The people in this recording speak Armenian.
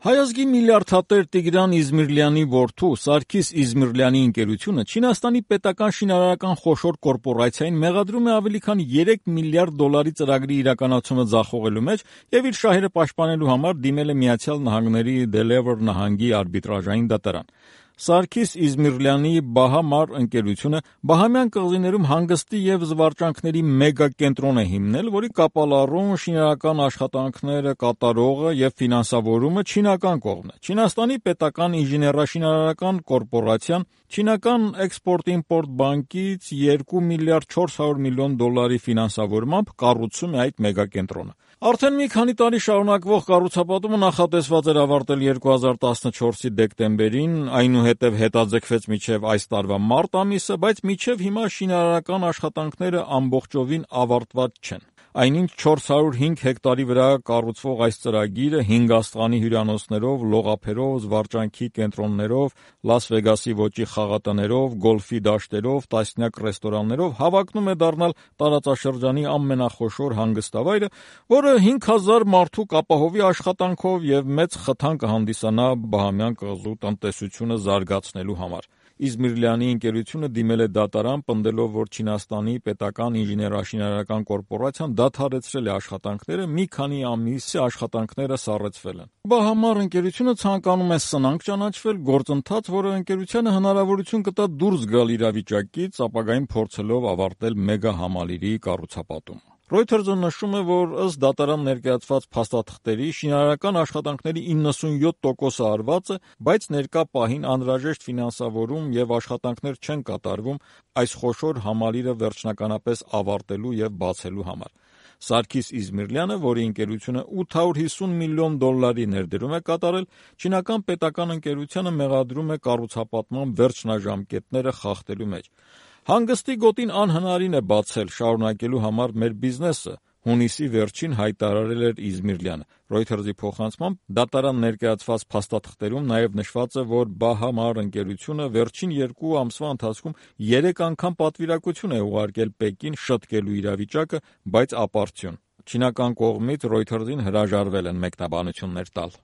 Հայազգի միլիարդատեր Տիգրան Իզմիրլյանի որդու Սարգիս Իզմիրլյանի ընկերությունը Չինաստանի պետական շինարարական խոշոր կորպորացիային մեղադրում է ավելի քան 3 միլիարդ դոլարի ծրագրի իրականացումը ձախողելու մեջ եւ իր շահերը պաշտպանելու համար դիմել է Միացյալ Նահանգների Դելևեր նահանգի արբիտրաժային դատարան։ Սարգիս Իզմիրլյանի Բահամար ընկերությունը Բահամյան կղզիներում հանգստի եւ զվարճանքների մեգա կենտրոն է հիմնել, որի կապալառուն շինարարական աշխատանքները կատարողը եւ ֆինանսավորումը չինական կողմն է։ Չինաստանի պետական ինժեներաշինարարական կորպորացիան չինական Էքսպորտ-իմպորտ բանկից 2 միլիարդ 400 միլիոն դոլարի ֆինանսավորմամբ կառուցում է այդ մեգա կենտրոնը։ Արդեն մի քանի տարի շարունակվող կառուցապատումը նախատեսված էր ավարտել 2014-ի դեկտեմբերին, այնուհետև հետաձգվեց մինչև այս տարվա մարտ ամիսը, բայց մինչև հիմա շինարարական աշխատանքները ամբողջովին ավարտված չեն։ Այնինչ 405 հեկտարի վրա կառուցվող այս ծրագիրը 5 աստղանի հյուրանոցներով, լողափերով, զվարճանքի կենտրոններով, Լաս Վեգասի ոճի խաղատներով, գոլֆի դաշտերով, տասնյակ ռեստորաններով հավակնում է դառնալ տարածաշրջանի ամենախոշոր հանգստավայրը, որը 5000 մարդու կապահովի աշխատանքով եւ մեծ խթան կհանդիսանա Բահամյան կղզու տնտեսությունը զարգացնելու համար։ Իզմիրլյանի ընկերությունը դիմել է դատարան, պնդելով, որ Չինաստանի պետական ինժեներաշինարարական կորպորացիան դադարեցրել է աշխատանքները, մի քանի ամիս է աշխատանքները սառեցվել են։ Բահամար ընկերությունը ցանկանում է սնանկ ճանաչվել, գործընթաց, որը ընկերությանը հնարավորություն կտա դուրս գալ իրավիճակից, ապագային փորձելով ավարտել մեգա համալիրի կառուցապատումը։ Reuters-ը նշում է, որ ըստ դատարան ներկայացված փաստաթղթերի շինարարական աշխատանքների 97%-ը արված է, բայց ներկա պահին անհրաժեշտ ֆինանսավորում եւ աշխատանքներ չեն կատարվում այս խոշոր համալիրը վերջնականապես ավարտելու եւ բացելու համար։ Սարգիս Իզմիրլյանը, որի ընկերությունը 850 միլիոն դոլարի ներդրում է կատարել, չինական պետական ընկերությանը մեղադրում է կառուցապատման վերջնաժամկետները խախտելու մեջ։ Հանգստի գոտին անհնարին է բացել շարունակելու համար մեր բիզնեսը, հունիսի վերջին հայտարարել էր Իզմիրլյանը։ Reuters-ի փոխանցմամբ դատարան ներկայացված փաստաթղթերում նաև նշված է, որ Բահամար ընկերությունը վերջին 2 ամսվա ընթացքում 3 անգամ պատվիրակություն է ուղարկել Պեկին շտկելու իրավիճակը, բայց ապարդյուն։ Չինական կողմից Reuters-ին հրաժարվել են մեկնաբանություններ տալ։